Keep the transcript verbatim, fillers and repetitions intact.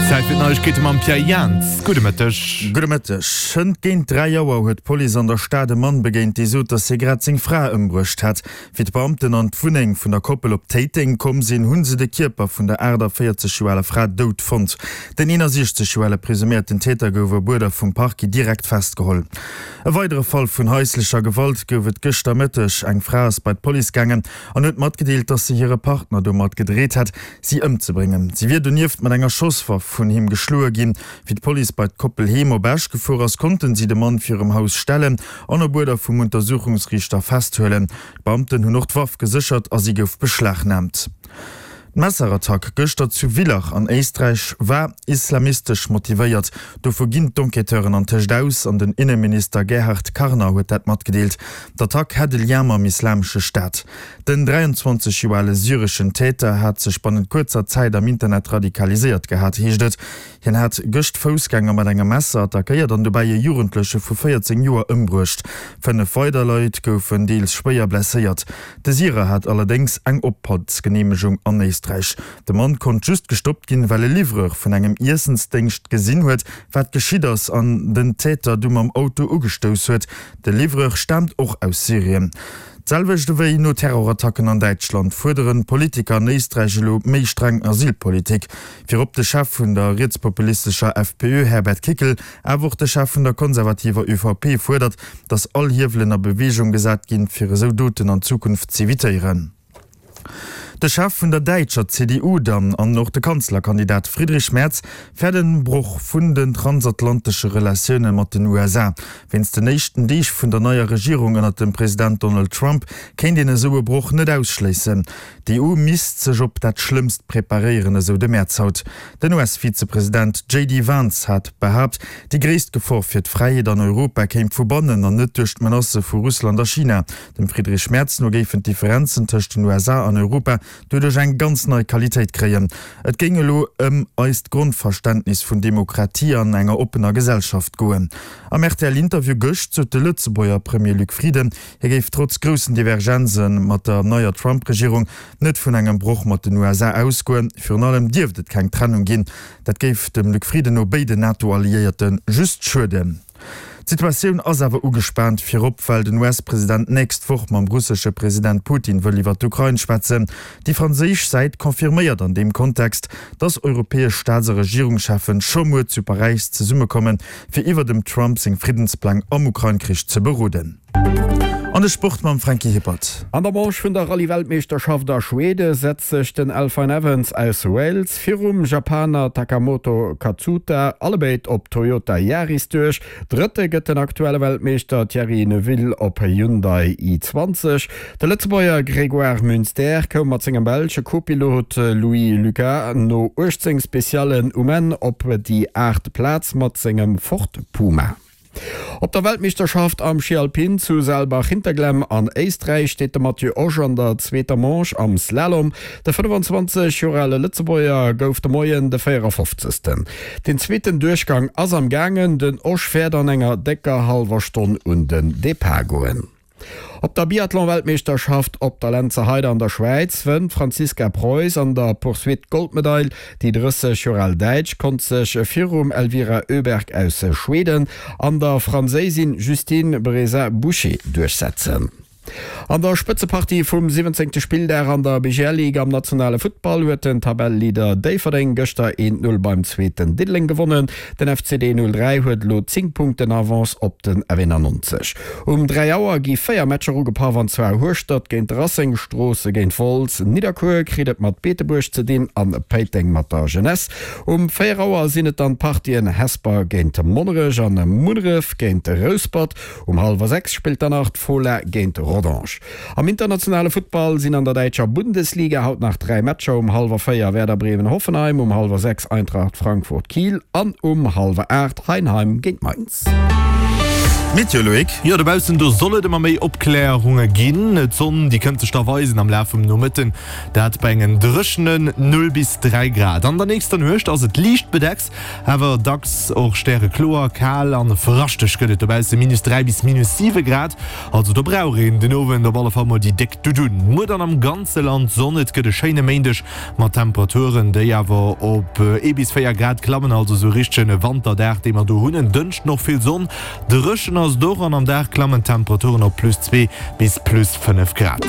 Zäit fir d'Neiegkeete mam Pierre Jans. Gudde Mëtteg. Gudde Mëtteg. Hënt géint dräi Auer huet d'Police an der Stad e Mann begéint, dee sot, datt hie grad seng Fra ëmbruecht hätt. Wéi d'Beamten an d'Wunneng vun der Koppel op Téiteng komm sinn, hu se de Kierper vun der aachtavéierzeg Joer aler Fra dout fonnt. Den eenasiechzeg Joer ale presuméierten Täter gouf op Uerder vum Parquet direkt festgeholl. E weidere Fall vun haislecher Gewalt gouf et gëschter Mëtteg. Eng Fra ass bei d'Police gaangen an huet matgedeelt, dass se hire Partner domat gedreet hätt, si ëmzebréngen. Si wier donieft mat enger Schosswaff vun him geschloe ginn. Wéi d'Police bei d'Koppel heem op Esch gefuer ass, konnten si de Mann virum Haus stellen an op Uerder vum Untersuchungsriichter festhuelen. D'Beamten hunn och d'Waff geséchert a si gouf beschlagnaamt. D'Messerattack gëschter zu Villach an Éisträich war islamistesch motivéiert. Dovu ginn d'Enquêteuren antëscht aus an den Inneminister Gerhard Karner huet dat matgedeelt. D'Attack hätt e Lien mam Islamesche Staat. Den dräianzwanzeg Joer ale syreschen Täter hat sech bannent kuerzer Zäit am Internet radikaliséiert gehat, heescht et. Hien hat gëscht Foussgänger mat engem Messer attackéiert an dobäi e Jugendleche vu véierzéng Joer ëmbruecht. Fënnef weider Leit goufen deels schwéier blesséiert. De Syrer hat allerdéngs eng Ophaltsgeneemegung an Éisträich. De Mann konnt just gestoppt ginn, well e Livreur vun engem Iessensdéngscht gesinn huet, wat geschitt ass an den Täter du mam Auto ugestouss huet. De Livreur staamt och aus Syrien. D'selwecht ewéi no Terrorattacken an Däitschland fuerderen d'Politiker an Éisträich elo méi streng Asylpolitik. Virop de Chef vun der rietspopulistescher F P Ö Herbert Kickl, awer och de Chef vun der konservativer Ö V P fuerdert, datt all Hiewelen a Beweegung gesat ginn, fir esou Doten an Zukunft z'evitéieren. De Chef vun der däitscher C D U dann an och de Kanzlerkandidat Friedrich Merz fäert e Broch vun den transatlantesche Relatioune mat den U S A. Wéinst den éischten Deeg vun der neier Regierung ënnert dem President Donald Trump kéint een esou e Broch net ausschléissen. D'E U misst sech op dat Schlëmmst preparéieren, esou de Merz haut. Den U S-Vizepresident J D Vance hat behaapt, déi gréisst Gefor fir d'Fräiheet an Europa kéim vu bannen an net duerch d'Menacë vu Russland a China. Dem Friedrich Merz no géifen d'Differenzen tëscht den U S A an Europa doduerch eng ganz nei Qualitéit kréien. Et géing elo ëm eist Grondverständnis vun Demokratie an enger oppener Gesellschaft goen. Am R T L-Interview gëscht sot de Lëtzebuerger Premier Luc Frieden, hie géif trotz groussen Divergenze mat der neier Trump-Regierung net vun engem Broch mat den U S A ausgoen. Virun allem dierft et keng Trennung ginn. Dat géif dem Luc Frieden no béiden NATO-Alliéierte just schueden. D'Situatioun ass awer ugespaant, virop well den U S-President nächst Woch mam russesche President Putin wëll iwwer d'Ukrain schwätzen. Déi franséisch Säit confirméiert an deem Kontext, datt europäesch Staats a Regierungscheffen scho muer zu Paräis zesummekommen, fir iwwer dem Trump seng Friddenspläng am Ukrain-Krich ze beroden. An de Sport mam Franky Hippert. An der Manche vun der Rallye-Weltmeeschterschaft a Schwede setzt sech den Elfyn Evans aus Wales virum Japaner Takamoto Katsuta, allebéid op Toyota Yaris, duerch. Drëtte gëtt den aktuelle Weltmeeschter Thierry Neuville op Hyundai i zwanzeg. De Lëtzebuerger Grégoire Munster koum mat sengem belsche Kopilot Louis Lucas no uechtzéng Speciallen um Enn op déi aacht Plaz mat sengem Ford Puma. Op der Weltmeeschterschaft am Schi Alpin zu Saalbach-Hinterglemm an Éisträich steet de Mathieu Osch an der zweeter Manche am Slalom. De fënnefenzwanzeg Joer ale Lëtzebuerger gouf de Moien de véierafofzegsten. Den zweeten Duerchgang ass am gaangen, den Osch wäert an enger décker hallwer Stonn un den Depart goen. Op der Biathlon-Weltmeeschterschaft op der Lenzerheide an der Schwäiz wënnt d'Franziska Preuß an der Poursuite d'Goldmedail. Déi drësseg Joer al Däitsch konnt sech virum Elvira Öberg aus Schweden an der Franséisin Justine Braisaz-Bouchet duerchsetzen. An der Spëtzepartie vum siwwenzéngte Spilldag an der B G L Ligue am nationale Futtball huet den Tabelleleader Déifferdeng gëschter een Null beim Zweeten Diddeleng gewonnen. Den F C D null dräi huet elo zéng Punkten Avance op den F eenannonzeg. Um dräi Auer gi véier Matcher ugepaff, an zwar Hueschtert géint Racing, Stroosse géint Wolz, Nidderkuer kritt et mat Beetebuerg ze dinn an Péiteng mat der Jeunesse. Um véier Auer sinn et dann d'Partien Hesper géint Monnerech an Munneref géint Rouspert. Um hallwer sechs spillt dann nach d'Fola géint Rodange. Am internationale Futtball sinn an der däitscher Bundesliga haut nach dräi Matcher, um hallwer véier Werder Bremen Hoffenheim, um hallwer sechs Eintracht Frankfurt Kiel an um hallwer aacht Heidenheim géint Mainz. D'Meteo, Loïc? Jo, dobaussen do soll et ëmmer méi Opklärunge ginn. D'Sonn, déi kënnt sech da weisen am Laf vum Nomëtten, dat bei engen dréchenen null bis dräi Grad. An der nächster Nuecht ass et liicht bedeckt, awer dacks och stärekloer. Kal an fraschteg gëtt et dobausse, minus dräi bis minus siwe Grad. Also do brauch een den Owend op alle Fall mol déi déck Dudun. Muer dann am ganze Land Sonn, et gëtt e schéine Méindeg mat Temperaturen, déi awer op ee bis véier Grad klammen, also sou richtegen Wanterdag, dee mer do hunn. En Dënschden och vill Sonn, dréchen ass et och an am Dag klammen d'Temperaturen op plus zwee bis plus fënnef Grad.